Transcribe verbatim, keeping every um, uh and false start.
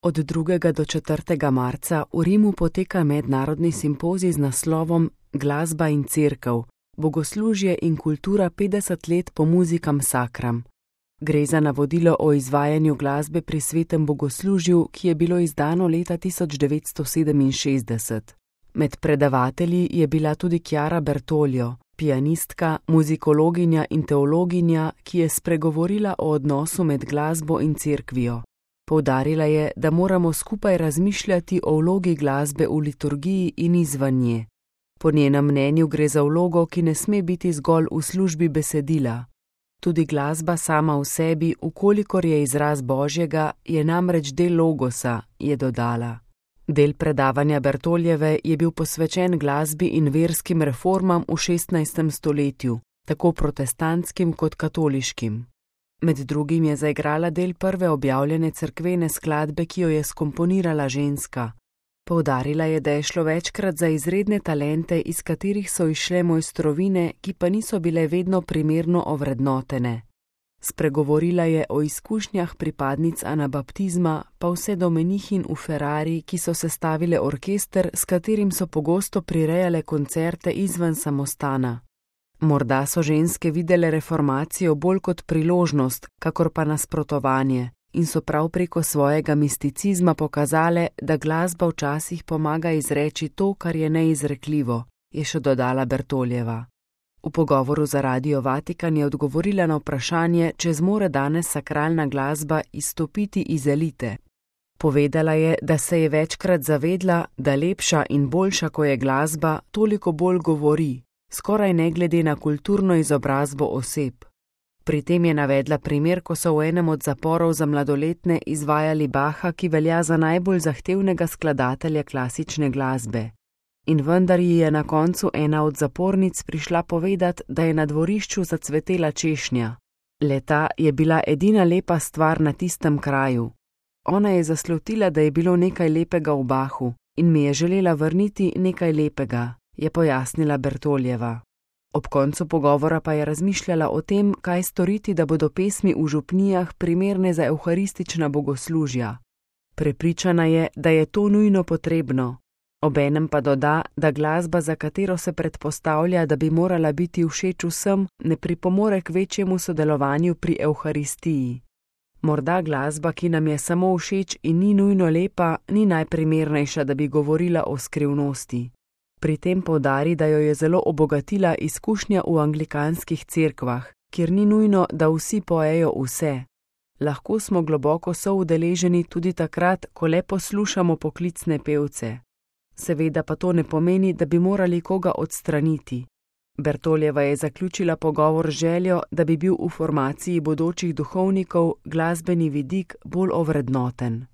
Od drugega do četrtega marca v Rimu poteka mednarodni simpozij z naslovom Glasba in cerkev, bogoslužje in kultura petdeset let po musicam sacram. Gre za navodilo o izvajanju glasbe pri svetem bogoslužju, ki je bilo izdano leta tisoč devetsto sedeminšestdeset. Med predavatelji je bila tudi Chiara Bertoglio, pianistka, muzikologinja in teologinja, ki je spregovorila o odnosu med glasbo in cerkvijo. Poudarila je, da moramo skupaj razmišljati o vlogi glasbe v liturgiji in izven nje. Po njenem mnenju gre za vlogo, ki ne sme biti zgolj v službi besedila. Tudi glasba sama v sebi, ukolikor je izraz Božjega, je namreč del logosa, je dodala. Del predavanja Bertogljeve je bil posvečen glasbi in verskim reformam v šestnajstem stoletju, tako protestantskim kot katoliškim. Med drugim je zaigrala del prve objavljene cerkvene skladbe, ki jo je skomponirala ženska. Poudarila je, da je šlo večkrat za izredne talente, iz katerih so izšle mojstrovine, ki pa niso bile vedno primerno ovrednotene. Spregovorila je o izkušnjah pripadnic anabaptizma, pa vse do menihinj v Ferrari, ki so sestavile orkester, s katerim so pogosto prirejale koncerte izven samostana. Morda so ženske videle reformacijo bolj kot priložnost, kakor pa nasprotovanje, in so prav preko svojega misticizma pokazale, da glasba včasih pomaga izreči to, kar je neizrekljivo, je še dodala Bertogljeva. V pogovoru za Radio Vatikan je odgovorila na vprašanje, če zmore danes sakralna glasba izstopiti iz elite. Povedala je, da se je večkrat zavedla, da lepša in boljša, ko je glasba, toliko bolj govori, skoraj ne glede na kulturno izobrazbo oseb. Pri tem je navedla primer, ko so v enem od zaporov za mladoletne izvajali Bacha, ki velja za najbolj zahtevnega skladatelja klasične glasbe. In vendar ji je na koncu ena od zapornic prišla povedati, da je na dvorišču zacvetela češnja. Le-ta je bila edina lepa stvar na tistem kraju. Ona je zaslutila, da je bilo nekaj lepega v Bachu in mi je želela vrniti nekaj lepega, je pojasnila Bertogljeva. Ob koncu pogovora pa je razmišljala o tem, kaj storiti, da bodo pesmi v župnijah primerne za evharistična bogoslužja. Prepričana je, da je to nujno potrebno. Obenem pa doda, da glasba, za katero se predpostavlja, da bi morala biti všeč vsem, ne pripomore k večjemu sodelovanju pri evharistiji. Morda glasba, ki nam je samo všeč in ni nujno lepa, ni najprimernejša, da bi govorila o skrivnosti. Pri tem poudari, da jo je zelo obogatila izkušnja v anglikanskih cerkvah, kjer ni nujno, da vsi pojejo vse. Lahko smo globoko soudeleženi tudi takrat, ko le poslušamo poklicne pevce. Seveda pa to ne pomeni, da bi morali koga odstraniti. Bertogljeva je zaključila pogovor z željo, da bi bil v formaciji bodočih duhovnikov glasbeni vidik bolj ovrednoten.